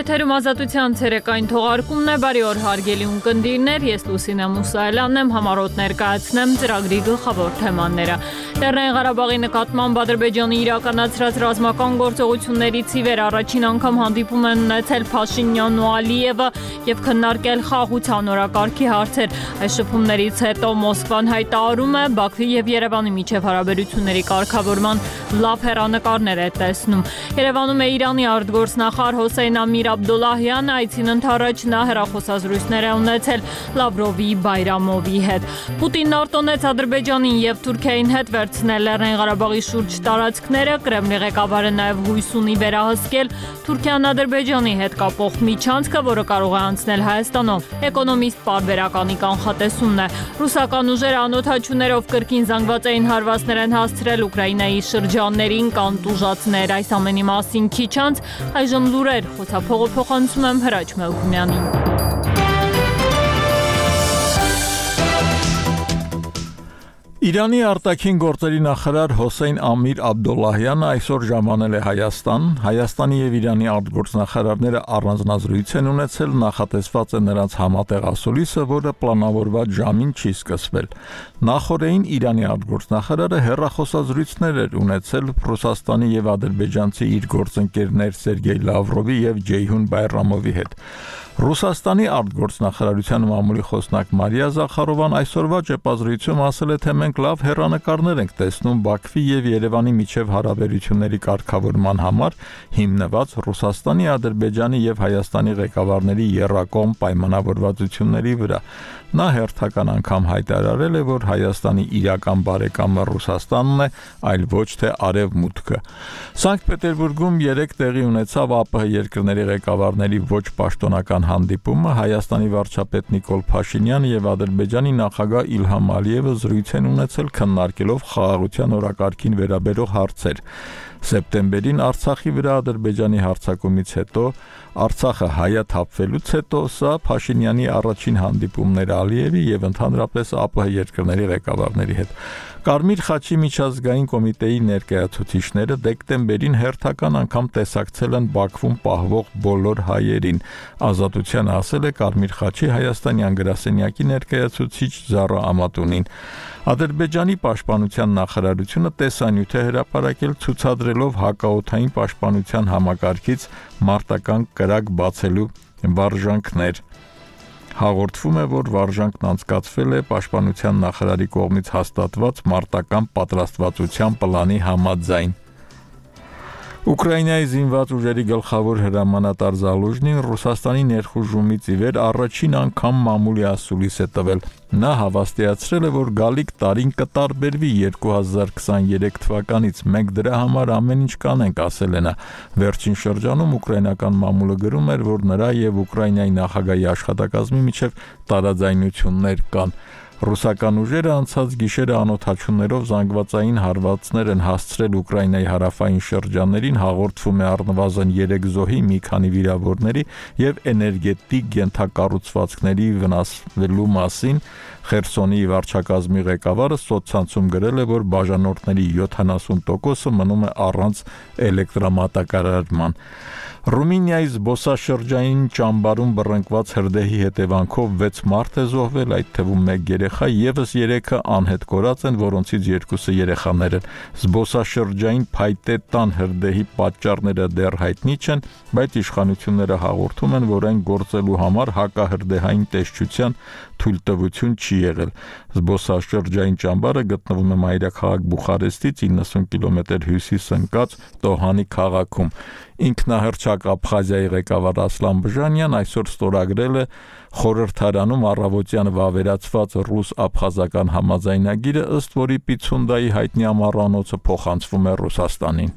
Եթերում ազատության ցերեկային թողարկումն է, բարի օր հարգելի ունկնդիրներ, ես Լուսինե Մուսայելյանն եմ, համառոտ ներկայացնեմ ծրագրի գլխավոր թեմաները։ Լեռնային Ղարաբաղի նկատմամբ Ադրբեջանի իրականացրած ռազմական գործողություններից ի վեր առաջին անգամ հանդիպում են ունեցել Փաշինյանն ու Ալիևը եւ քննարկել խաղաղության օրակարգի հարցեր։ Այս շփումներից հետո Մոսկվան հայտարարում է Բաքվի եւ Երևանի միջև հարաբերությունների կարգավորման լավ հեռանկարներ է տեսնում։ Երևանում է Իրանի արտգործնախարար Հոսեյն Ամիր Աբդոլլահյանը, այցին ընդառաջ նա հեռախոսազրույցներ է ունեցել Լավրովի, Բայրամովի հետ։ Պուտինն արտոնեց Ադրբեջանին եւ Թուրքիային հետ վերցնել Լեռնային Ղարաբաղի շուրջ տարածքները, Կրեմլի ղեկավարը նաեւ հույս ունի վերահսկել Թուրքիան Ադրբեջանի հետ կապող միջանցքը, որը կարող է անցնել Հայաստանով։ Էկոնոմիստ պարբերականի կանխատեսումն է։ Ռուսական ուժերը անօթաչուներով կրկին զանգվածային հարվածներ են հասցրել Ուկրաինայի շրջաններին, կան տուժածներ։ Այս ամենի մասին քիչ անց այժմ լուրեր, խոսափողը փոխանցում եմ Հրաչ Մելքումյանին։ Իրանի արտաքին գործերի նախարար Հոսեյն Ամիր Աբդոլլահյանը այսօր ժամանել է Հայաստան։ Հայաստանի եւ Իրանի արտգործնախարարները առանձնազրույց են ունեցել, նախատեսված է նրանց համատեղ ասուլիսը, որը պլանավորված ժամին չի սկսվել։ Նախորդին Իրանի արտգործնախարարը հեռախոսազրույցներ էր ունեցել Ռուսաստանի եւ ադրբեջանցի իր գործընկերներ Սերգեյ Լավրովի եւ Ջեյհուն Բայրամովի հետ։ Ռուսաստանի արտգործնախարարության մամուլի խոսնակ Մարիա Զախարովան այսօրվա ճեպազրույցում ասել է, թե մենք լավ հեռանկարներ ենք տեսնում Բաքվի եւ Երևանի միջև հարաբերությունների կարգավորման համար հիմնված Ռուսաստանի, Ադրբեջանի եւ Հայաստանի ղեկավարների եռակողմ պայմանավորվածությունների վրա։ Նա հերթական անգամ հայտարարել է, որ Հայաստանի իրական բարեկամը Ռուսաստանն է, այլ ոչ թե Արևմուտքը։ Սանկտ Պետերբուրգում 3 տեղի ունեցավ ԱՊՀ երկրների ղեկավարների ոչ պաշտոնական հանդիպումը, Հայաստանի վարչապետ Նիկոլ Փաշինյանը եւ Ադրբեջանի նախագահ Իլհամ Ալիևը զրույց են ունեցել քննարկելով խաղաղության օրակարգին վերաբերող հարցեր։ Սեպտեմբերին Արցախի վրա Ադրբեջանի հարձակումից հետո Արցախը հայաթափվելուց հետո սա Փաշինյանի առաջին հանդիպումն էր Ալիևի եւ ընդհանրապես ԱՊՀ երկրների ղեկավարների հետ։ Կարմիր խաչի միջազգային կոմիտեի ներկայացուցիչները դեկտեմբերին հերթական անգամ տեսակցել են Բաքվում պահվող բոլոր հայերին։ Ազատությանը ասել է Կարմիր խաչի հայաստանյան գրասենյակի ներկայացուցիչ Զարա Ամատունին։ Ադրբեջանի պաշտպանության նախարարությունը տեսանյութ է հրապարակել ցուցադրելով հակաօդային պաշտպանության համակարգից մարտական կրակ բացելու վարժանքներ։ Հաղորդվում է, որ վարժանքն անցկացվել է պաշտպանության նախարարի կողմից հաստատված մարտական պատրաստվածության պլանի համաձայն։ Ուկրաինայի զինված ուժերի գլխավոր հրամանատար Զալուժնին Ռուսաստանի ներխուժումից ի վեր առաջին անգամ մամուլի ասուլիս է տվել։ Նա հավաստիացրել է, որ գալիք տարին կտարբերվի 2023 թվականից, մենք դրա համար ամեն ինչ կանենք, ասել է նա։ Վերջին շրջանում ուկրաինական մամուլը գրում էր, որ նրա եւ Ուկրաինայի նախագահի աշխատակազմի միջև տարաձայնություններ կան։ Ռուսական ուժերը անցած գիշերը անօթաչուներով զանգվածային հարվածներ են հասցրել Ուկրաինայի հարավային շրջաններին, հաղորդվում է առնվազն 3 զոհի, մի քանի վիրավորների եւ էներգետիկ ենթակառուցվածքների վնասվելու մասին։ Խերսոնի վարչակազմի ղեկավարը սոցցանցում գրել է, որ բաժանորդների 70%-ը մնում է առանց էլեկտրամատակարարման։ Ռումինիայի զբոսաշրջային ճամբարում բռնկված հրդեհի հետևանքով 6 մարդ է զոհվել, այդ թվում 1 երեխա, եւս 3-ը անհետ կորած են, որոնցից 2-ը երեխաներ են։ Զբոսաշրջային փայտե տան հրդեհի պատճառները դեռ հայտնի չեն, բայց իշխանությունները հաղորդում են, որ այն գործելու համար հակահրդեհային տեսչության թույլտվություն չի եղել։ Զբոսաշրջային ճամբարը գտնվում է մայրաքաղաք Բուխարեստից 90 կիլոմետր հյուսիս ընկած Տոհանի քաղաքում։ Ինքնահռչակ Աբխազիայի ղեկավար Ասլան Բժանյան այսօր ստորագրել է խորհրդարանում առավոտյան վավերացված ռուս-աբխազական համաձայնագիրը, ըստ որի Պիցունդայի հայտնի ամառանոցը փոխանցվում է Ռուսաստանին։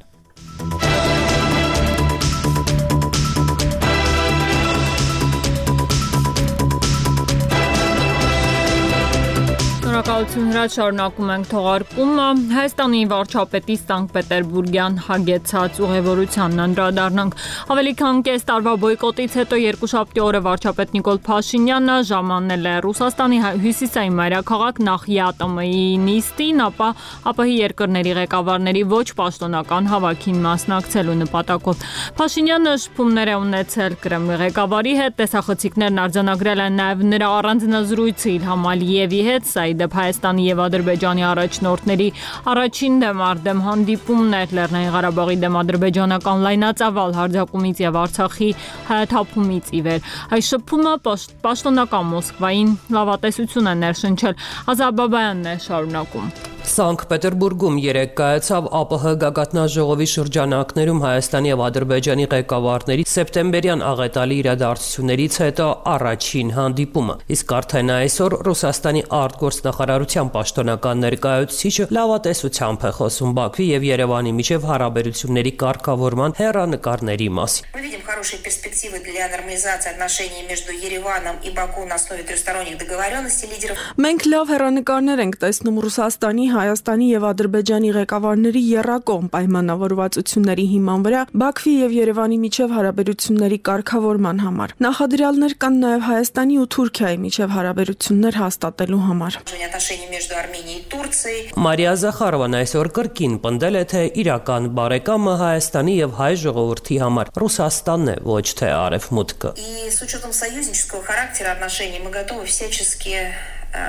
Շնորհակալություն հրաշ շարունակում ենք թողարկումը Հայաստանի վարչապետի Սանկտ Պետերբուրգյան հագեցած ուղևորությանն անդրադառնանք ավելի քան կես տարվա բոյկոտից հետո երկուշաբթի օրը վարչապետ Նիկոլ Փաշինյանը ժամանել է Ռուսաստանի հյուսիսային մայրաքաղաք նախ ԵԱՏՄ-ի նիստին, ապա ԱՊՀ երկրների ղեկավարների ոչ պաշտոնական հավաքին մասնակցելու նպատակով Փաշինյանը շփումներ է ունեցել Կրեմլի ղեկավարի հետ, տեսախցիկներն արձանագրել են նաև նրա առանձնազրույցը Իլհամ Ալիևի հետ, սա ի դեպ Հայաստանի եւ Ադրբեջանի առաջնորդների առաջին դեմարդեմ հանդիպումներ Լեռնային Ղարաբաղի դեմ ադրբեջանական լայնածավալ հարձակումից եւ Արցախի հայաթափումից ի վեր։ Այս շփումը պաշտոնական Մոսկվային լավատեսություն է ներշնչել։ Ազատ Բաբայանն է շարունակում։ Սանկտ Պետերբուրգում երեկ կայացավ ԱՊՀ գագաթնաժողովի շրջանակներում Հայաստանի եւ Ադրբեջանի ղեկավարների սեպտեմբերյան աղետալի իրադարձություններից հետո առաջին հանդիպումը։ Իսկ արդեն այսօր Ռուսաստանի արտգործնախարարության պաշտոնական ներկայացուցիչը լավատեսությամբ է խոսում Բաքվի եւ Երևանի միջև հարաբերությունների կարգավորման հեռանկարների մասին։ Мы видим хорошие перспективы для нормализации отношений между Ереваном и Баку на основе трехсторонних договоренностей лидеров. Մենք լավ հեռանկարներ ենք տեսնում Ռուսաստանի, Հայաստանի եւ Ադրբեջանի ղեկավարների եռակողմ պայմանավորվածությունների հիման վրա Բաքվի եւ Երևանի միջև հարաբերությունների կարգավորման համար։ Նախադրյալներ կան նաեւ Հայաստանի ու Թուրքիայի միջև հարաբերություններ հաստատելու համար։ Отношения между Арменией и Турцией. Մարիա Զախարովան այսօր կրկին պնդել է, թե իրական բարեկամը Հայաստանի եւ հայ ժողովրդի համար Ռուսաստանն է, ոչ թե Արևմուտքը։ И с учетом союзнического характера отношений мы готовы всячески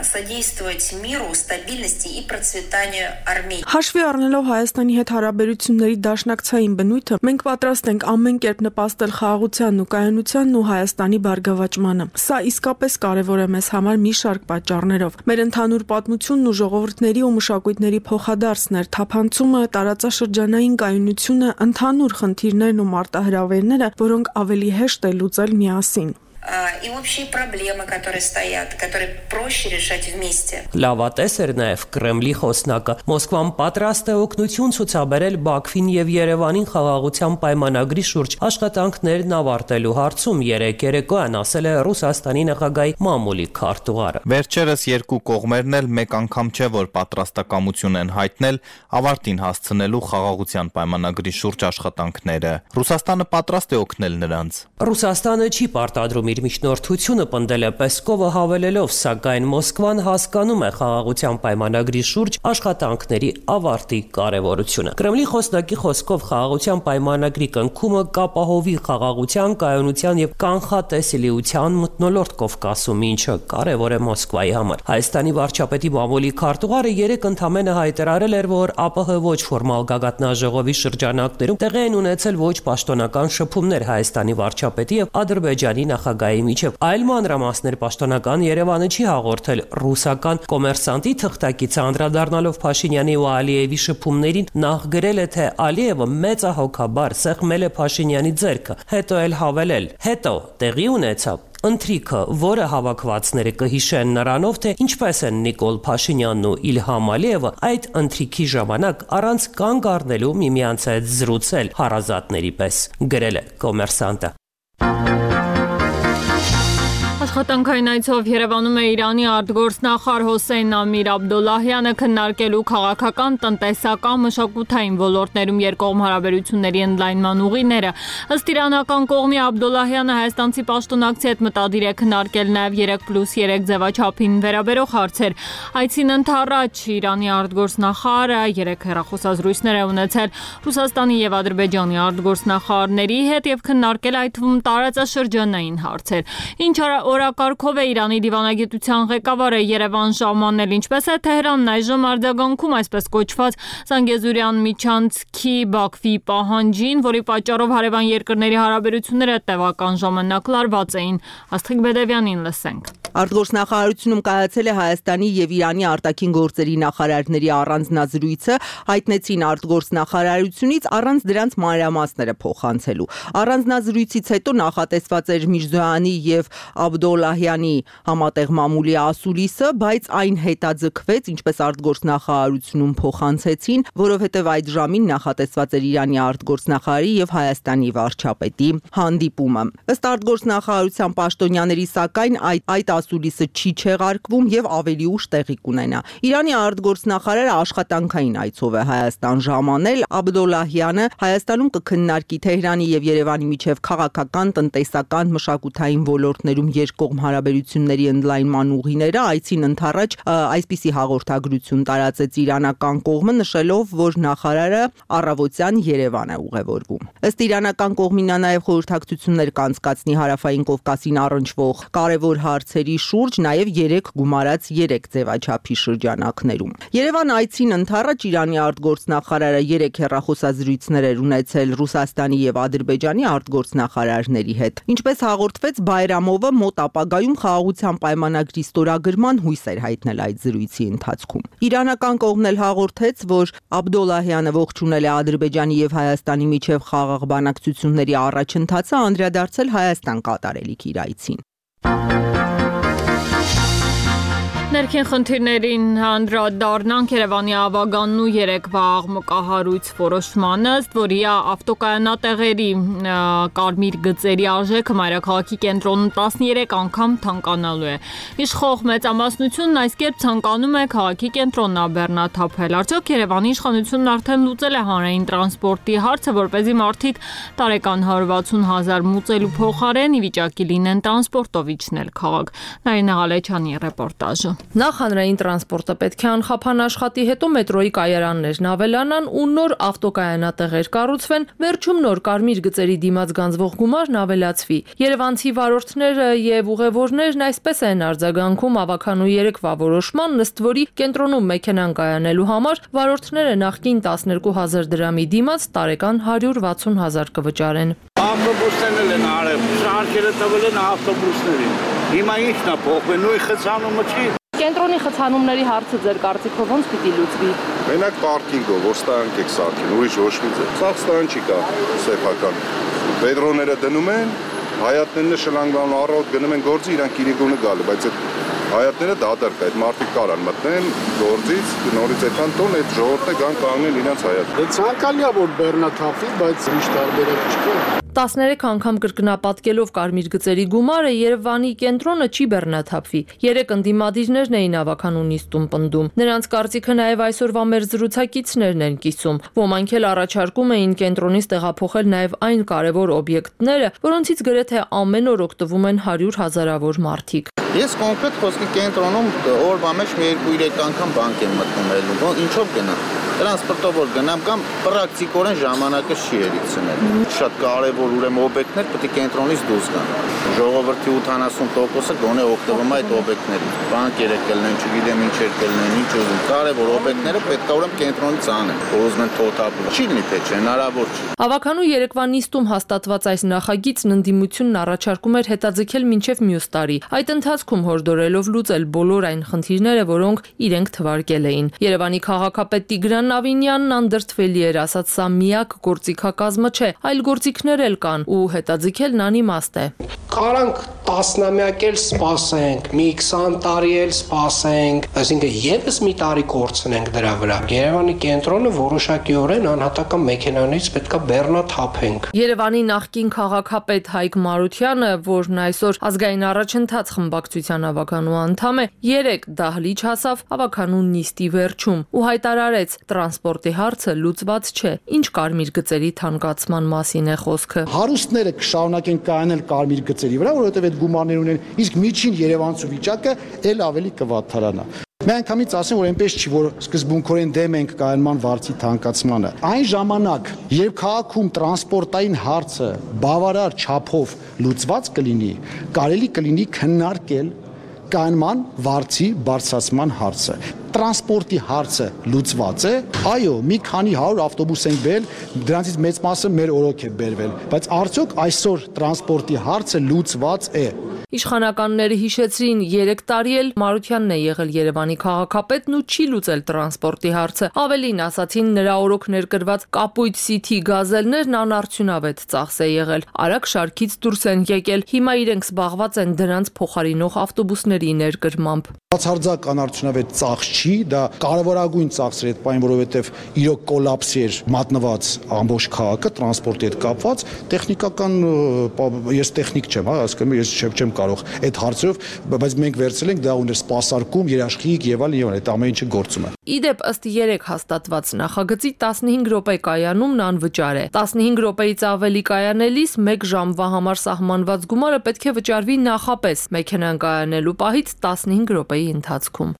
содействовать миру, стабильности и процветанию Армении. Հաշվի առնելով Հայաստանի հետ հարաբերությունների դաշնակցային բնույթը, մենք պատրաստ ենք ամեն կերպ նպաստել խաղաղությանն ու կայունությանն ու Հայաստանի բարգավաճմանը։ Սա իսկապես կարևոր է մեզ համար մի շարք պատճառներով։ Մեր ընդհանուր պատմությունն ու ժողովուրդների ու մշակույթների փոխադարձն էր, թափանցումը, տարածաշրջանային կայունությունը, ընդհանուր խնդիրներն ու մարտահրավերները, որոնք ավելի հեշտ է լուծել միասին։ И общие проблемы, которые стоят, которые проще решать вместе. Լավատես էր նաև Կրեմլի խոսնակը։ Մոսկվան պատրաստ է օգնություն ցուցաբերել Բաքվին եւ Երևանին խաղաղության պայմանագրի շուրջ աշխատանքներն ավարտելու հարցում երեկոյան ասել է Ռուսաստանի նախագահի մամուլի քարտուղարը։ Վերջերս երկու կողմերն էլ մեկ անգամ չէ որ պատրաստակամություն են հայտնել ավարտին հասցնելու խաղաղության պայմանագրի շուրջ աշխատանքները։ Ռուսաստանը պատրաստ է օգնել նրանց։ Ռուսաստանը չի պարտադրում իր միջնորդությունը պնդել է Պեսկովը հավելելով, սակայն Մոսկվան հասկանում է խաղաղության պայմանագրի շուրջ աշխատանքների ավարտի կարևորությունը։ Կրեմլի խոսնակի խոսքով խաղաղության պայմանագրի կնքումը կապահովի խաղաղության, կայունության եւ կանխատեսելիության մթնոլորտ Կովկասում, ինչը կարևոր է Մոսկվայի համար։ Հայաստանի վարչապետի մամուլի քարտուղարը երեկ ընդամենը հայտարարել էր, որ ԱՊՀ ոչ ֆորմալ գագաթնաժողովի շրջանակներում տեղի են ունեցել ոչ պաշտոնական շփումներ Հայաստանի վարչապետի եւ Ադրբեջանի նախագահի միջև։ Այլ մանրամասներ պաշտոնական Երևանը չի հաղորդել ռուսական կոմերսանտի թղթակիցը անդրադառնալով Փաշինյանի ու Ալիևի շփումներին նախ գրել է, թե Ալիևը մեծահոգաբար սեղմել է Փաշինյանի ձեռքը, հետո էլ հավելել. հետո տեղի ունեցավ ընթրիքը, որը հավաքվածները կհիշեն նրանով, թե ինչպես են Նիկոլ Փաշինյանն ու Իլհամ Ալիևը այդ ընթրիքի ժամանակ առանց կանգ առնելու միմյանց հետ զրուցել հարազատների պես, գրել է կոմերսանտը։ Աշխատանքային այցով Երևանում է Իրանի արտգործնախարար Հոսեյն Ամիր Աբդոլլահյանը քննարկելու քաղաքական, տնտեսական, մշակութային ոլորտներում երկկողմ հարաբերությունների ընդլայնման ուղիները։ Ըստ իրանական կողմի Աբդոլլահյանը հայաստանցի պաշտոնակցի հետ մտադիր է քննարկել նաև 3+3 ձևաչափին վերաբերող հարցեր։ Այցին ընդառաջ Իրանի արտգործնախարարը 3 հեռախոսազրույցներ է ունեցել Ռուսաստանի եւ Ադրբեջանի արտգործնախարարների հետ եւ քննարկել այդ թվում տարածաշրջանային հարցեր։ Ինչ օրակարգով է Իրանի դիվանագիտության ղեկավարը Երևան ժամանել, ինչպես է Թեհրանն այժմ արձագանքում այսպես կոչված Զանգեզուրյան միջանցքի Բաքվի պահանջին, որի պատճառով հարևան երկրների հարաբերությունները տևական ժամանակ լարված էին։ Աստղիկ Բեդևյանին լսենք։ Արտգործնախարարությունում կայացել է Հայաստանի եւ Իրանի արտաքին գործերի նախարարների առանձնազրույցը, հայտնեցին արտգործնախարարությունից առանց դրանց մանրամասները փոխանցելու։ Առանձնազրույցից հետո նախատեսված էր Միրզոյանի եւ Աբդոլլահյանի համատեղ մամուլի ասուլիսը, բայց այն հետաձգվեց, ինչպես արտգործնախարարությունում փոխանցեցին, որովհետև այդ ժամին նախատեսված էր Իրանի արտգործնախարարի եւ Հայաստանի վարչապետի հանդիպումը։ Ըստ արտգործնախարարության պաշտոնյաների, սակայն այդ ասուլիսը չի չեղարկվում եւ ավելի ուշ տեղի կունենա։ Իրանի արտգործնախարարը աշխատանքային այցով է Հայաստան ժամանել։ Աբդոլլահյանը Հայաստանում կքննարկի Թեհրանի եւ Երևանի միջև քաղաքական, տնտեսական, մշակութային ոլորտներում երկկողմ հարաբերությունների ընդլայնման ուղիները։ Այցին ընդառաջ այսպիսի հաղորդագրություն տարածեց իրանական կողմը, նշելով, որ նախարարը առավոտյան Երևան է ուղևորվում։ Ըստ իրանական կողմի նա նաեւ խորհրդակցություններ կանցկացնի Հարավային Կովկասին առնչվող կարևոր հարցերի շուրջ, նաեւ 3 գումարած 3 ձևաչափի շրջանակներում։ Երևան այցին ընդառաջ Իրանի արտգործնախարարը 3 հեռախոսազրույցներ էր ունեցել Ռուսաստանի եւ Ադրբեջանի արտգործնախարարների հետ։ Ինչպես հաղորդվեց, Բայրամովը մոտ ապագայում խաղաղության պայմանագրի ստորագրման հույս էր հայտնել այդ զրույցի ընթացքում։ Իրանական կողմն էլ հաղորդեց, որ Աբդոլլահյանը ողջունել է Ադրբեջանի եւ Հայաստանի միջև խաղաղ բանակցությունների առաջընթացը, անդրադարձել Հայաստան կատարելիք իր այցին։ Ներքին խնդիրներին անդրադառնանք Երևանի ավագանն ու երեկվա աղմկահարույց որոշմանը, ըստ որի ավտոկայանատեղերի կարմիր գծերի արժեքը մայրաքաղաքի կենտրոնում 13 անգամ թանկանալու է։ Իշխող մեծամասնությունն այս կերպ ցանկանում է քաղաքի կենտրոնն բեռնաթափել։ Արդյոք Երևանի իշխանությունն արդեն լուծել է հանրային տրանսպորտի հարցը, որպեսզի մարդիկ տարեկան 160,000 մուծելու փոխարեն ի վիճակի լինեն տրանսպորտով իջնել քաղաք։ Նարինե Ղալեչյանի ռեպորտաժը։ Նախ հանրային տրանսպորտը պետք է անխափան աշխատի, հետո մետրոյի կայարաններն ավելանան ու նոր ավտոկայանատեղեր կառուցվեն, վերջում նոր կարմիր գծերի դիմաց գանձվող գումարն ավելացվի։ Երևանցի վարորդները եւ ուղևորներն այսպես են արձագանքում ավագանու երեկվա որոշման, ըստ որի կենտրոնում մեքենան կայանելու համար վարորդները նախկին 12,000 դրամի դիմաց տարեկան 160,000 կվճարեն։ Ավտոբուսներն են արել, շարքերը տվել են ավտոբուսներին։ Հիմա ի՞նչն է փոխվել, նույն խցանումը չի։ Կենտրոնի խցանումների հարցը ձեր կարծիքով ոնց պիտի լուծվի։ Մենակ պարկինգով, որ ստանք եք սարքին, ուրիշ ոչ մի ձև։ Սա ստան չի կա, սեփական։ Պետրոները դնում են, հայատներն շլանգան առավոտ գնում են գործի, իրանք իրիկունը գալու, բայց այդ հայատները դատարկ է, այդ մարդիկ կարան մտնեն գործից, նորից այդքան տոն, այդ ժողովուրդը գան կանգնեն իրանց հայատ։ Դա ցանկալի է, որ բեռնաթափվի, բայց իշ տարբերակ չկա։ 13 անգամ կրկնապատկելով կարմիր գծերի գումարը Երևանի կենտրոնը չի բեռնաթափվի։ 3 ընդդիմադիրներն էին ավագանու նիստում պնդում։ Նրանց կարծիքը նաև այսօրվա մեր զրուցակիցներն են կիսում։ Ոմանք էլ առաջարկում էին կենտրոնից տեղափոխել նաև այն կարևոր օբյեկտները, որոնցից գրեթե ամեն օր օգտվում են 100,000-ավոր մարդիկ։ Ես կոնկրետ խոսքի կենտրոնում օրվա մեջ 2-3 անգամ բանկ եմ մտնում ելնու։ Ինչով գնամ։ Տրանսպորտով որ գնամ կամ պրակտիկորեն ժամանակը չի երիցնել։ Շատ կարևոր ուրեմն օբյեկտներ պետք է կենտրոնից դուրս գան։ Ժողովրդի 80%-ը գոնե օգտվում է այդ օբյեկտներից։ Բանկերը կլինեն, չգիտեմ ինչեր կլինեն, ինչ ուզում։ Կարևոր օբյեկտները պետք է ուրեմն կենտրոնից անեն։ Ուզում են թոթափել։ Չի լինի թե չէ, հնարավոր չի։ Ավագանու երեկվա նիստում հաստատված այս նախագիծն ընդդիմությունն առաջարկում էր հետաձգել մինչև մյուս տարի։ Այդ ընթացքում հորդորելով լուծել բոլոր այն խնդիրները, որոնք իրենք թվարկել էին։ Երևանի քաղաքապետ Տիգրան Ավինյանն անդրդվելի էր, ասաց, սա միակ գործիքակազմը չէ, այլ գործիքներ էլ կան ու հետաձգելն անիմաստ է։ Կարանք տասնամյակ էլ սպասենք, մի 20 տարի էլ սպասենք, այսինքն եւս մի տարի կորցնենք դրա վրա։ Երևանի կենտրոնը որոշակիորեն անհատական մեքենաներից պետքա բեռնաթափենք։ Երևանի նախկին քաղաքապետ Հայկ Մարությանը, որն այսօր ազգային առաջընթաց խմբակցության ավագանու անդամ է, 3 դահլիճ հասավ ավագանու նիստի վերջում ու հայտարարեց, տրանսպորտի հարցը լուծված չէ։ Ինչ կարմիր գծերի թանկացման մասին է խոսքը։ Հարուստները կշարունակեն կայանել կարմիր գծերի վրա, որովհետև այդ գումարներ ունեն, իսկ միջին երևանցու վիճակը ել ավելի կվատթարանա։ Միանգամից ասեմ, որ այնպես չի, որ սկզբունքորեն դեմ ենք կայանման վարձի թանկացմանը։ Այն ժամանակ, երբ քաղաքում տրանսպորտային հարցը բավարար չափով լուծված կլինի, կարելի կլինի քննարկել կայանման վարձի բարձրացման հարցը։ Տրանսպորտի հարցը լուծված է, այո, մի քանի 100 ավտոբուս են բերել, դրանցից մեծ մասը մեր օրոք է բերվել, բայց արդյոք այսօր տրանսպորտի հարցը լուծված է։ Իշխանականները հիշեցրին 3 տարի էլ Մարությանն է եղել Երևանի քաղաքապետն ու չի լուծել տրանսպորտի հարցը։ Ավելին ասացին, նրա օրոք ներկրված կապույտ City գազելներն անարդյունավետ ծախս է եղել։ Արագ շարքից դուրս են եկել։ Հիմա իրենք զբաղված են դրանց փոխարինող ավտոբուսների ներկրմամբ։ Բացարձակ անարդյունավետ ծախս չի, դա կարևորագույն ծախս էր այդ պայն, որովհետև իրոք կոլապսի էր մատնված ամբողջ քաղաքը տրանսպորտի հետ կապված, տեխնիկական ես տեխնիկ չեմ, ասում եմ, ես չեմ կարող այդ հարցերով, բայց մենք վերցրել ենք դա ուներ սպասարկում, երաշխիք եւ այլն, այդ ամեն ինչը գործում է։ Իդեպ ըստ 3 հաստատված նախագծի 15 րոպե կայանումն անվճար է։ 15 րոպեից ավելի կայանելիս 1 ժամվա համար սահմանված գումարը պետք է վճարվի նախապես մեքենան կայանելու պահից 15 րոպեի ընթացքում։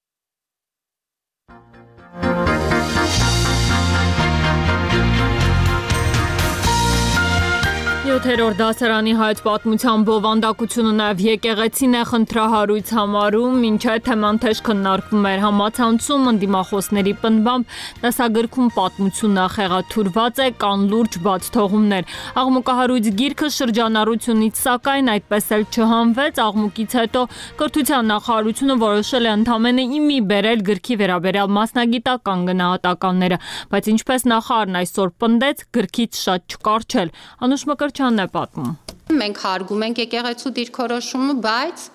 Յոթերորդ դասարանի հայոց պատմության բովանդակությունը նաև եկեղեցին է խնդրահարույց համարում, ինչը թեման թեժ քննարկվում էր համացանցում, ընդդիմախոսների պնդմամբ դասագրքում պատմությունը խեղաթյուրված է, կան լուրջ բաց թողումներ։ Աղմուկահարույց գիրքը շրջանառությունից սակայն այդպես էլ չհանվեց, աղմուկից հետո կրթության նախարարությունը որոշել է ընդամենը իմի բերել գրքի վերաբերյալ մասնագիտական գնահատականները, բայց ինչպես նախարարն այսօր պնդեց, գրքից շատ չկարչել։ Անուշ Մկրտչյանն է պատմում։ Մենք հարգում ենք եկեղեցու դիրքորոշումը, բայց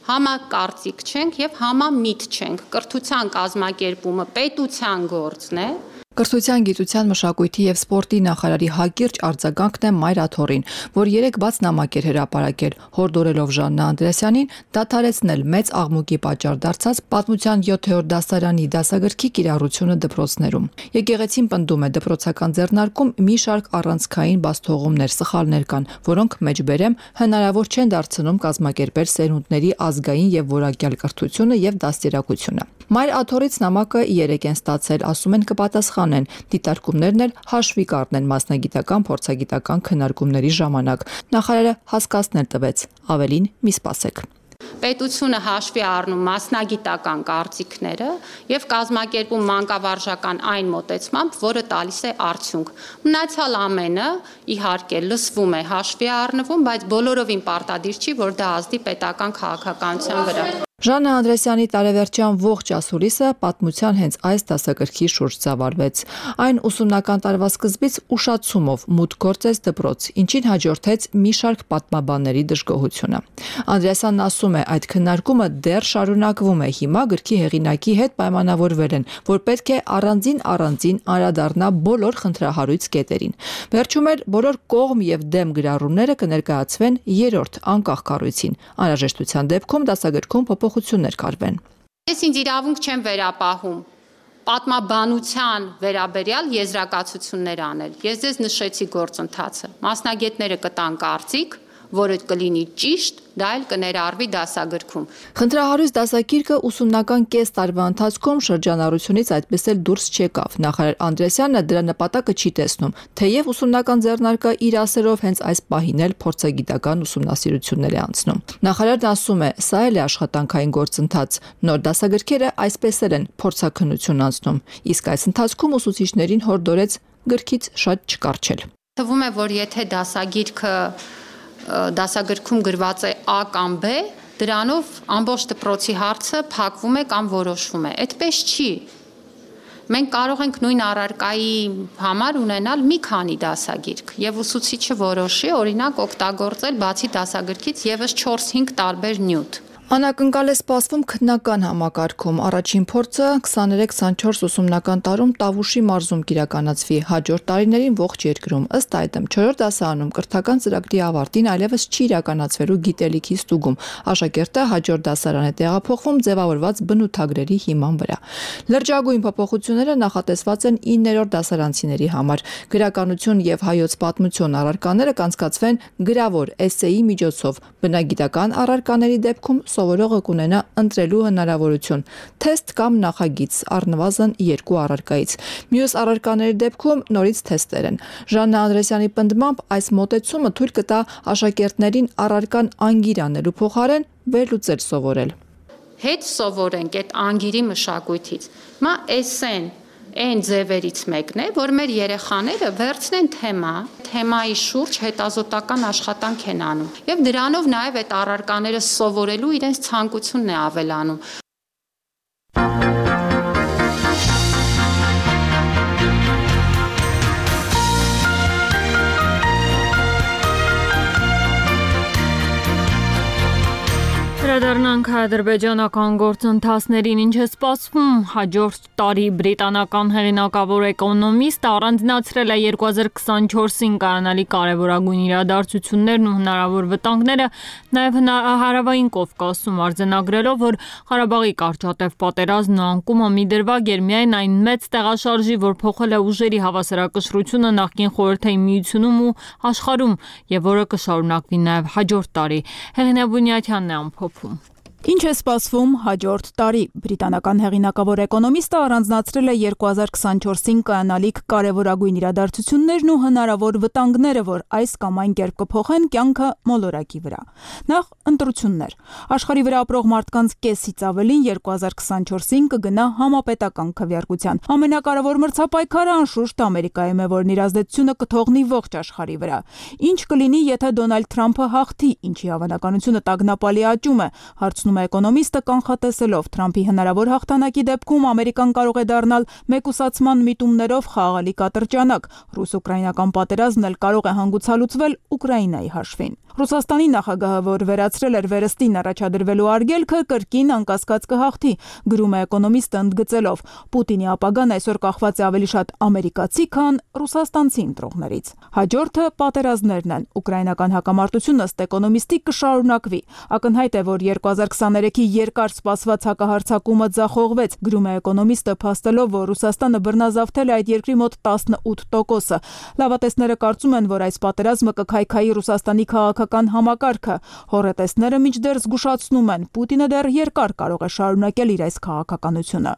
համակարծիք չենք եւ համամիտ չենք։ Կրթության կազմակերպումը պետության գործն է։ Կրթության, գիտության, մշակույթի եւ սպորտի նախարարի հակիրճ արձագանքն է Մայր Աթոռին, որ 3 բաց նամակ էր հրապարակել, հորդորելով Ժաննա Անդրեասյանին դադարեցնել մեծ աղմուկի պատճառ դարձած պատմության 7-րդ դասարանի դասագրքի կիրառությունը դպրոցներում։ Եկեղեցին պնդում է դպրոցական ձեռնարկում մի շարք առանցքային բացթողումներ, սխալներ կան, որոնք մեջբերեմ հնարավոր չեն դարձնում կազմակերպել սերունդների ազգային եւ որակյալ կրթությունը եւ դաստիարակությունը։ Մայր Աթոռից նամակը 3 են ստացել, ասում են կպատասխանեն, դիտարկումներն էլ հաշվի կառնեն մասնագիտական փորձագիտական քննարկումների ժամանակ։ Նախարարը հասկացնել տվեց, ավելին մի սպասեք։ Պետությունը հաշվի առնում մասնագիտական կարծիքները եւ կազմակերպում մանկավարժական այն մոտեցմամբ, որը տալիս է արդյունք։ Մնացյալ ամենը իհարկե լսվում է, հաշվի առնվում, բայց բոլորովին պարտադիր չի, որ դա ազդի պետական քաղաքականության վրա։ Ժաննա Անդրեասյանի տարեվերջյան ողջ ասուլիսը պատմության հենց այս դասագրքի շուրջ ծավալվեց։ Այն ուսումնական տարվա սկզբից ուշացումով մուտք գործեց դպրոց, ինչին հաջորդեց մի շարք պատմաբանների դժգոհությունը։ Անդրեասյանն ասում է, այդ քննարկումը դեռ շարունակվում է, հիմա գրքի հեղինակի հետ պայմանավորվել են, որ պետք է առանձին անդրադառնա բոլոր խնդրահարույց կետերին։ Վերջում էլ բոլոր կողմ եւ դեմ գրառումները կներկայացվեն 3-րդ անկախ կառույցին։ Անհրաժեշտության դեպքում դասագրքում փոփոխություններ կարվեն։ Ես ինձ իրավունք չեմ վերապահում պատմաբանության վերաբերյալ եզրակացություններ անել։ Ես ձեզ նշեցի գործընթացը։ Մասնագետները կտան կարծիք, որը կլինի ճիշտ, դա էլ կներառվի դասագրքում։ Խնդրահարույց դասագիրքը ուսումնական կես տարվա ընթացքում շրջանառությունից այդպես էլ դուրս չեկավ։ Նախարար Անդրեասյանը դրա նպատակը չի տեսնում, թեև ուսումնական ձեռնարկը իր ասերով հենց այս պահին էլ փորձագիտական ուսումնասիրություններ է անցնում։ Նախարարն ասում է, սա էլ է աշխատանքային գործընթաց։ Նոր դասագրքերը այսպես էլ են փորձաքննություն անցնում, իսկ այս ընթացքում ուսուցիչներին հորդորեց գրքից շատ չկարչել։ Թվում է, որ եթե դասագրքում գրված է A կամ B, դրանով ամբողջ դպրոցի հարցը փակվում է կամ որոշվում է։ Այդպես չի։ Մենք կարող ենք նույն առարկայի համար ունենալ մի քանի դասագիրք եւ ուսուցիչը որոշի, օրինակ, օգտագործել բացի դասագրքից եւս 4-5 տարբեր նյութ։ Անակնկալ է սպասվում քննական համակարգում։ Առաջին փորձը 23-24 ուսումնական տարում Տավուշի մարզում կիրականացվի, հաջորդ տարիներին ողջ երկրում։ Ըստ այդմ 4-րդ դասարանում կրթական ծրագրի ավարտին այլևս չի իրականացվելու գիտելիքի ստուգում։ Աշակերտը հաջորդ դասարան է տեղափոխվում ձևավորված բնութագրերի հիման վրա։ Լրջագույն փոփոխությունները նախատեսված են 9-րդ դասարանցիների համար։ Գրականություն եւ հայոց պատմություն առարկաները կանցկացվեն գրավոր էսսեի միջոցով։ Բնագիտական առարկաների դեպքում սովորողը կունենա ընտրելու հնարավորություն, թեստ կամ նախագիծ, առնվազն 2 առարկայից։ Մյուս առարկաների դեպքում նորից թեստեր են։ Ժաննա Անդրեասյանի պնդմամբ այս մոտեցումը թույլ կտա աշակերտներին առարկան անգիր անելու փոխարեն վերլուծել սովորել։ Հետ սովորենք այդ անգիրի մշակույթից։ Հիմա էսսեն, այն ձևերից մեկն է, որ մեր երեխաները վերցնեն թեմայի շուրջ հետազոտական աշխատանք են անում եւ դրանով նաեւ այդ առարկաները սովորելու իրենց ցանկությունն է ավելանում։ Վերադառնանք ադրբեջանական գործընթացներին, ինչ է սպասվում հաջորդ տարի բրիտանական հեղինակավոր էկոնոմիստը առանձնացրել է 2024-ին կայանալի կարևորագույն իրադարձություններն ու հնարավոր վտանգները, նաև հարավային Կովկասում արձանագրելով, որ Ղարաբաղի կարճատև պատերազմն ու անկումը մի դրվագ էր միայն այն մեծ տեղաշարժի, որ փոխել է ուժերի հավասարակշռությունը նախկին Խորհրդային Միությունում ու աշխարհում եւ որը կշարունակվի նաև հաջորդ տարի։ Հեղինե Բունյաթյանն է ամփոփում։ Ինչ է սպասվում հաջորդ տարի։ Բրիտանական հեղինակավոր էկոնոմիստը առանձնացրել է 2024-ին կայանալիք կարևորագույն իրադարձություններն ու հնարավոր վտանգները, որ այս կամ այն կերպ կփոխեն կյանքը մոլորակի վրա։ Նախ ընտրություններ։ Աշխարհի վրա ապրող մարդկանց կեսից ավելին 2024-ին կգնա համապետական քվեարկության։ Ամենակարևոր մրցապայքարը անշուշտ Ամերիկայում է, որն իր ազդեցությունը կթողնի ողջ աշխարհի վրա։ Ինչ կլինի, եթե Դոնալդ Թրամփը հաղթի, ինչի հավանականությունը տագնապալի աճում է, հարցնում է էկոնոմիստը կանխատեսելով Թրամփի հնարավոր հաղթանակի դեպքում Ամերիկան կարող է դառնալ մեկուսացման միտումներով խաղալիք ատրճանակ։ Ռուս-ուկրաինական պատերազմն էլ կարող է հանգուցալուծվել Ուկրաինայի հաշվին։ Ռուսաստանի նախագահը, որ վերացրել էր վերստին առաջադրվելու արգելքը, կրկին անկասկած կհաղթի, գրում է էկոնոմիստը ընդգծելով. Պուտինի ապագան այսօր կախված է ավելի շատ ամերիկացի, քան ռուսաստանցի ընտրողներից։ Հաջորդը պատերազմներն են։ Ուկրաինական հակամարտությունը ըստ էկոնոմիստի կշարունակվի։ Ակնհայտ է, որ 2023-ի երկար սպասված հակահարձակումը ձախողվեց, գրում է էկոնոմիստը, փաստելով, որ Ռուսաստանը բռնազավթել է այդ երկրի մոտ 18%-ը։ Լավատեսները կարծում են, որ այս պատերազմը կքայքայի Ռուսաստանի քաղաքական համակարգը։ Հոռետեսները մինչդեռ զգուշացնում են, Պուտինը դեռ երկար կարող է շարունակել իր այս քաղաքականությունը։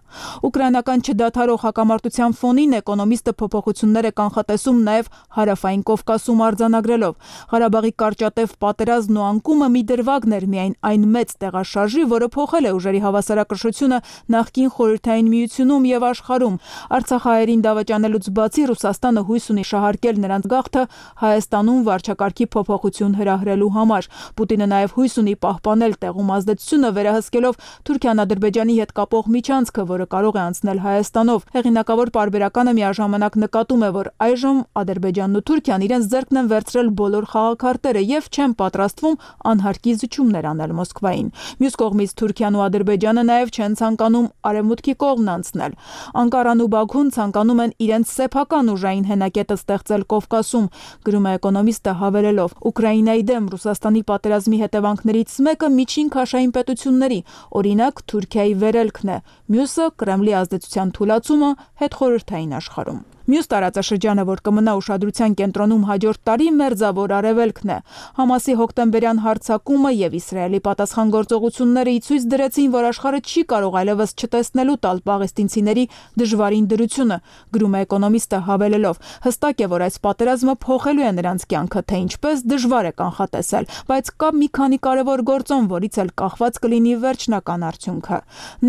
Ուկրաինական չդադարող հակամարտության ֆոնին էկոնոմիստը փոփոխություններ է կանխատեսում նաև հարավային Կովկասում արձանագրելով. Ղարաբաղի կարճատև պատերազմն ու անկումը մի դրվագն էր միայն այն մեծ տեղաշարժի, որը փոխել է ուժերի հավասարակշռությունը նախկին Խորհրդային Միությունում եւ աշխարհում։ Արցախահայերին դավաճանելուց բացի Ռուսաստանը հույս ունի շահարկել նրանց գաղթը Հայաստանում վարչակարգի փոփոխություն հրահրելու համար։ Պուտինը նաև հույս ունի պահպանել տեղում ազդեցությունը, վերահսկելով Թուրքիան Ադրբեջանի հետ կապող միջանցքը, որը կարող է անցնել Հայաստանով։ Հեղինակավոր պարբերականը միաժամանակ նկատում է, որ այժմ Ադրբեջանն ու Թուրքիան իրենց ձեռքն են վերցրել բոլոր խաղաքարտերը եւ չեն պատրաստվում անհարկի զիջումներ անել Մոսկվային։ Մյուս կողմից Թուրքիան ու Ադրբեջանը նաև չեն ցանկանում արևմուտքի կողմն անցնել։ Անկարան ու Բաքուն ցանկանում են իրենց սեփական ուժային հենակետը ստեղծել Կովկասում, գրում է էկոնոմիստը հավելելով. Ուկրաինայի դեմ Ռուսաստանի պատերազմի հետևանքներից մեկը միջին քաշային պետությունների, օրինակ Թուրքիայի վերելքն է, մյուսը Կրեմլի ազդեցության թուլացումը հետխորհրդային աշխարհում։ Մյուս տարածաշրջանը, որ կմնա ուշադրության կենտրոնում հաջորդ տարի, Մերձավոր Արևելքն է։ Համասի հոկտեմբերյան հարձակումը եւ Իսրայելի պատասխանատվողությունները ի ցույց դրեցին, որ աշխարհը չի կարող այլևս չտեսնելու տալ պաղեստինցիների դժվարին դրությունը, գրում է էկոնոմիստը հավելելով. հստակ է, որ այս պատերազմը փոխելու է նրանց կյանքը, թե ինչպես դժվար է կանխատեսել, բայց կա մի քանի կարևոր գործոն, որից էլ կախված կլինի վերջնական արդյունքը։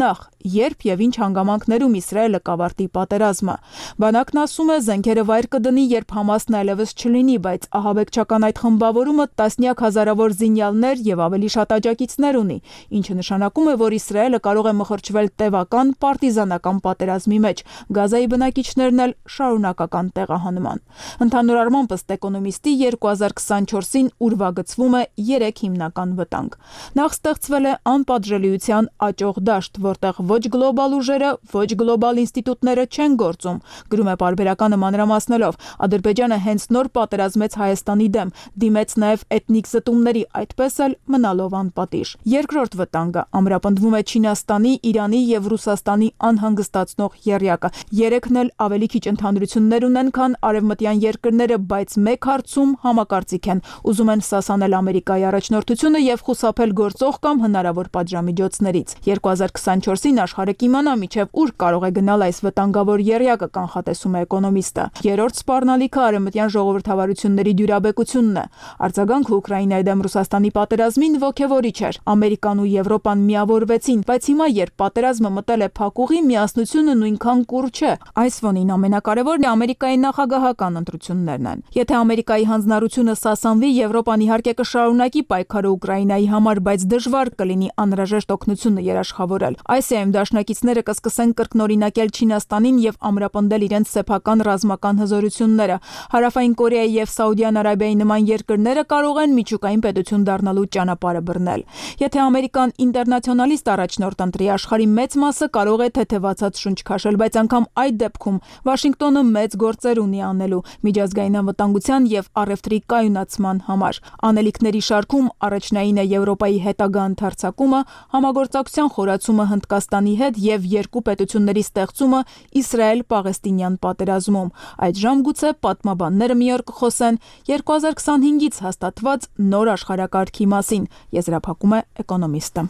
Նախ, երբ եւ ինչ հանգամանքներում Իսրայելը կավարտի պատերազմը։ Բանակն ասում է, զենքերը վայր կդնի, երբ Համասն այլևս չլինի, բայց ահաբեկչական այդ խմբավորումը տասնյակ հազարավոր զինյալներ եւ ավելի շատ աջակիցներ ունի, ինչը նշանակում է, որ Իսրայելը կարող է մխրճվել տևական պարտիզանական պատերազմի մեջ, Գազայի բնակիչներն էլ շարունակական տեղահանման։ Ընդհանուր առմամբ ըստ էկոնոմիստի 2024-ին ուրվագծվում է 3 հիմնական վտանգ։ Նախ ստեղծվել է անպատժելիության աճող դաշտ, որտեղ ոչ գլոբալ ուժերը, ոչ գլոբալ ինստիտուտները չեն գործում, գրում է պարբերականը մանրամասնելով. Ադրբեջանը հենց նոր պատերազմեց Հայաստանի դեմ, դիմեց նաև էթնիկ զտումների, այդպես էլ մնալով անպատիժ։ Երկրորդ վտանգը ամրապնդվում է Չինաստանի, Իրանի եւ Ռուսաստանի անհանգստացնող եռյակը։ Երեքն էլ ավելի քիչ ընդհանրություններ ունեն, քան արևմտյան երկրները, բայց մեկ հարցում համակարծիք են, ուզում են սասանել Ամերիկայի առաջնորդությունը եւ խուսափել գործող կամ հնարավոր պատժամիջոցներից։ 2024-ին աշխարհը կիմանա միջև ուր կարող է գնալ այս վտանգավոր եռյակը, կանխատեսում է է էկոնոմիստը։ Երրորդ սպառնալիքը արևմտյան ժողովրդավարությունների դյուրաբեկությունն է։ Արձագանքը Ուկրաինայի դեմ Ռուսաստանի պատերազմին ոգևորիչ էր։ Ամերիկան ու Եվրոպան միավորվեցին, բայց հիմա երբ պատերազմը մտել է փակուղի, միասնությունը նույնքան կուռ չէ։ Այս ֆոնին ամենակարևորն է Ամերիկայի նախագահական ընտրություններն են։ Եթե Ամերիկայի հանձնառությունը սասանվի, Եվրոպան իհարկե կշարունակի պայքարը Ուկրաինայի համար, բայց դժվար կլինի անհրաժեշտ օգնությունը երաշխավորել։ ICM դաշնակիցները կսկսեն կրկնօրինակել Չինաստանին եւ ամրապնդել իրենց սեփական ռազմական հզորությունները։ Հարավային Կորեայի եւ Սաուդյան Արաբիայի նման երկրները կարող են միջուկային պետություն դառնալու ճանապարհը բռնել։ Եթե Ամերիկան ինտերնացիոնալիստ առաջնորդ ընտրի, աշխարհի մեծ մասը կարող է թեթևացած շունչ քաշել, բայց անգամ այդ դեպքում Վաշինգտոնը մեծ գործեր ունի անելու միջազգային անվտանգության եւ առևտրի կայունացման համար։ Անելիքների շարքում առաջնային է Եվրոպայի հետագա ընդարձակումը, համագործակցության խորացումը Հնդկաստանի հետ եւ երկու պետությունների ստեղծումը Իսրայել-Պաղեստինյան պատերազմում։ Այդժամ գուցե պատմաբանները մի օր կխոսեն 2025-ից հաստատված նոր աշխարհակարգի մասին, եզրափակում է էկոնոմիստը։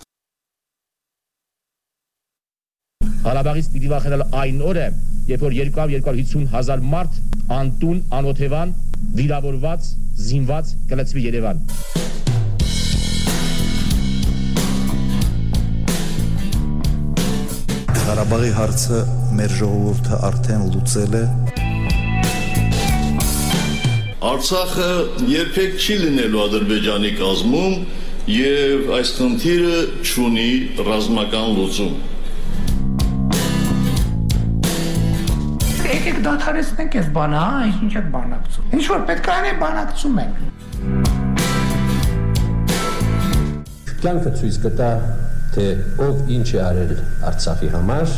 Ղարաբաղից պիտի վախենալ այն օրը, երբ որ 250,000 մարդ անտուն, անօթևան, վիրավորված, զինված կլցվի Երևան։ Ղարաբաղի հարցը մեր ժողովուրդը արդեն լուծել է։ Արցախը երբեք չի լինելու Ադրբեջանի կազմում եւ այս խնդիրը չունի ռազմական լուծում։ Եկեք դադարեցնենք այս բանը, ինչ եք բանակցում։ Ինչ որ պետք է անենք, բանակցում ենք։ Կյանքը ցույց կտա, թե ով ինչ է արել Արցախի համար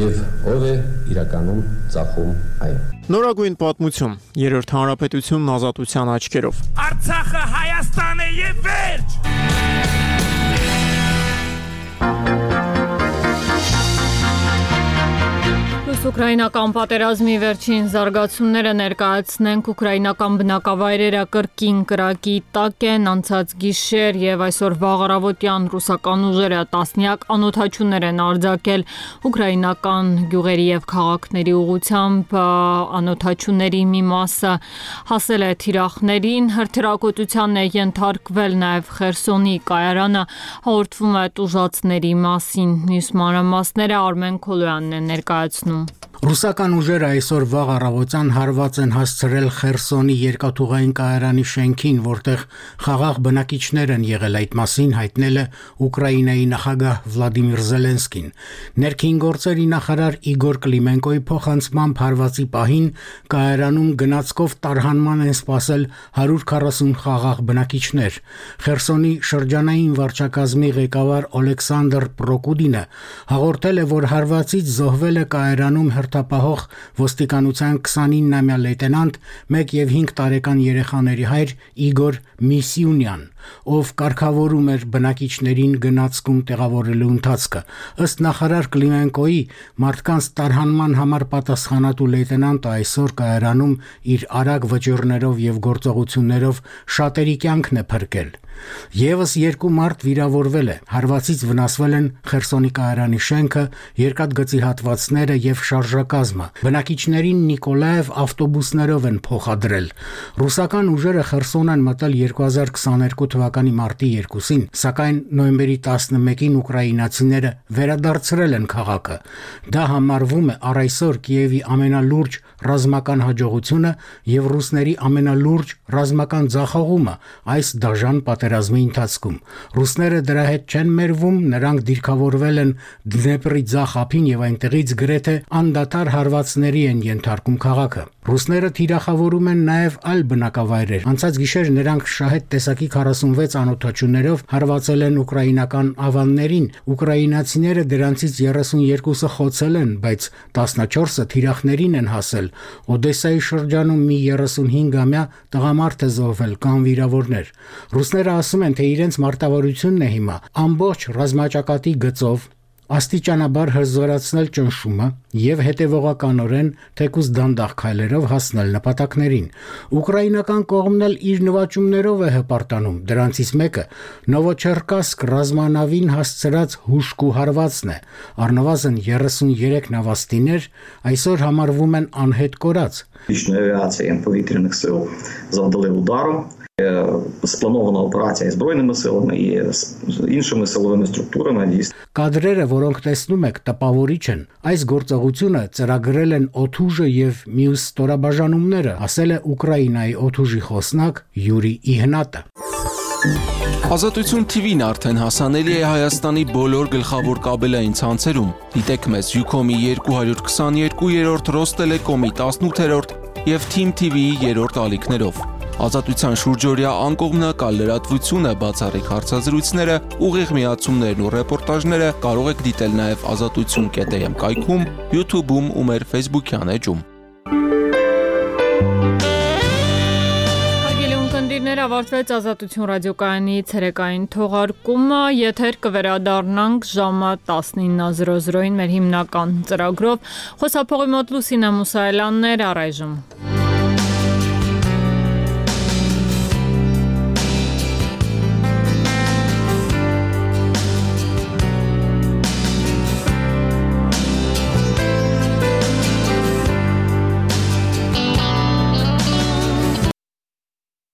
եւ ով է իրականում ծախում այն։ Նորագույն պատմություն, Երրորդ հանրապետությունն ազատության աչքերով։ Արցախը Հայաստան է եւ վերջ։ Ուկրաինական պատերազմի վերջին զարգացումները ներկայացնենք ուկրաինական բնակավայրերը կրկին կրակի տակ են անցած գիշեր եւ այսօր վաղ առավոտյան ռուսական ուժերը տասնյակ անօդաչուներ են արձակել ուկրաինական գյուղերի եւ քաղաքների ուղղությամբ անօդաչուների մի մասը հասել է թիրախներին հրթիռակոծության է ենթարկվել նաեւ Խերսոնի կայարանը հաղորդվում է տուժածների մասին մյուս մանրամասները Արմեն Քոլոյանն է ներկայացնում Ռուսական ուժերը այսօր վաղ առավոտյան հարված են հասցրել Խերսոնի երկաթուղային կայարանի շենքին, որտեղ խաղաղ բնակիչներ են եղել, այդ մասին հայտնել է Ուկրաինայի նախագահ Վլադիմիր Զելենսկին։ Ներքին գործերի նախարար Իգոր Կլիմենկոյի փոխանցմամբ հարվածի պահին կայարանում գնացքով տարհանման են սպասել 140 խաղաղ բնակիչներ։ Խերսոնի շրջանային վարչակազմի ղեկավար Օլեքսանդր Պրոկուդինը հաղորդել է, որ հարվածից զոհվել է կայարանում հերթապահող ոստիկանության 29-ամյա լեյտենանտ 1 եւ 5 տարեկան երեխաների հայր Իգոր Միսյունյան, ով կարգավորում էր բնակիչներին գնացքում տեղավորելու ընթացքը։ Ըստ նախարար Կլիմենկոյի, մարդկանց տարհանման համար պատասխանատու լեյտենանտը այսօր կայարանում իր արագ վճիռներով եւ գործողություններով շատերի կյանքն է փրկել։ Եվս 2 մարդ վիրավորվել է, հարվածից վնասվել են Խերսոնի կայարանի շենքը, երկաթգծի հատվածները եւ շարժակազմը։ Բնակիչներին Նիկոլաև ավտոբուսներով են փոխադրել։ Ռուսական ուժերը Խերսոն են մտել 2022 թվականի մարտի 2-ին, սակայն նոյեմբերի 11-ին ուկրաինացիները վերադարձրել են քաղաքը։ Դա համարվում է առ այսօր Կիևի ամենալուրջ ռազմական հաջողությունը եւ ռուսների ամենալուրջ ռազմական ձախողումը այս դաժան պատերազմի ընթացքում։ Ռուսները դրա հետ չեն մերվում, նրանք դիրքավորվել են Դնեպրի ձախ ափին եւ այնտեղից գրեթե անդադար հարվածների են ենթարկում քաղաքը։ Ռուսները թիրախավորում են նաեւ այլ բնակավայրեր։ Անցած գիշեր նրանք շահեդ տեսակի 46 անօդաչուներով հարվածել են ուկրաինական ավաններին։ Ուկրաինացիները դրանցից 32-ը խոցել են, բայց 14-ը թիրախներին են հասել։ Օդեսայի շրջանում մի 35-ամյա տղամարդ է զոհվել կամ վիրավորներ։ Ռուսները ասում են, թե իրենց մարտավարությունն է հիմա ամբողջ ռազմաճակատի գծով աստիճանաբար հզորացնել ճնշումը եւ հետեւողականորեն թեկուզ դանդաղ քայլերով հասնել նպատակներին։ Ուկրաինական կողմն էլ իր նվաճումներով է հպարտանում։ Դրանցից մեկը Նովոչերկասկ ռազմանավին հասցրած հուշկու հարվածն է։ Առնվազն 33 նավաստիներ այսօր համարվում են անհետ կորած։ повітряних сил завдали удару. Спланована операція збройними силами і іншими силовими структурами. Կադրերը, որոնք տեսնում եք, տպավորիչ են։ Այս գործողությունը ծրագրել են օդուժը եւ մյուս ստորաբաժանումները, ասել է Ուկրաինայի օդուժի խոսնակ Յուրի Իհնատը։ Ազատություն TV-ն արդեն հասանելի է Հայաստանի բոլոր գլխավոր կաբելային ցանցերում։ Դիտեք մեզ Ucom-ի 222-րդ, Ռոստելեկոմի 18-րդ եւ Team TV-ի 3-րդ ալիքներով։ Ազատության շուրջօրյա անկողմնակալ լրատվությունը, բացառիկ հարցազրույցները, ուղիղ միացումներն ու ռեպորտաժները կարող եք դիտել նաեւ azatutsun.am կայքում, YouTube-ում ու մեր Facebook-յան էջում։ Ավարտվեց Ազատություն ռադիոկայանի ցերեկային թողարկումը, եթեր կվերադառնանք ժամը 19:00-ին մեր հիմնական ծրագրով։ Խոսափողի մոտ Լուսինա Մուսայելյանն էր, առայժմ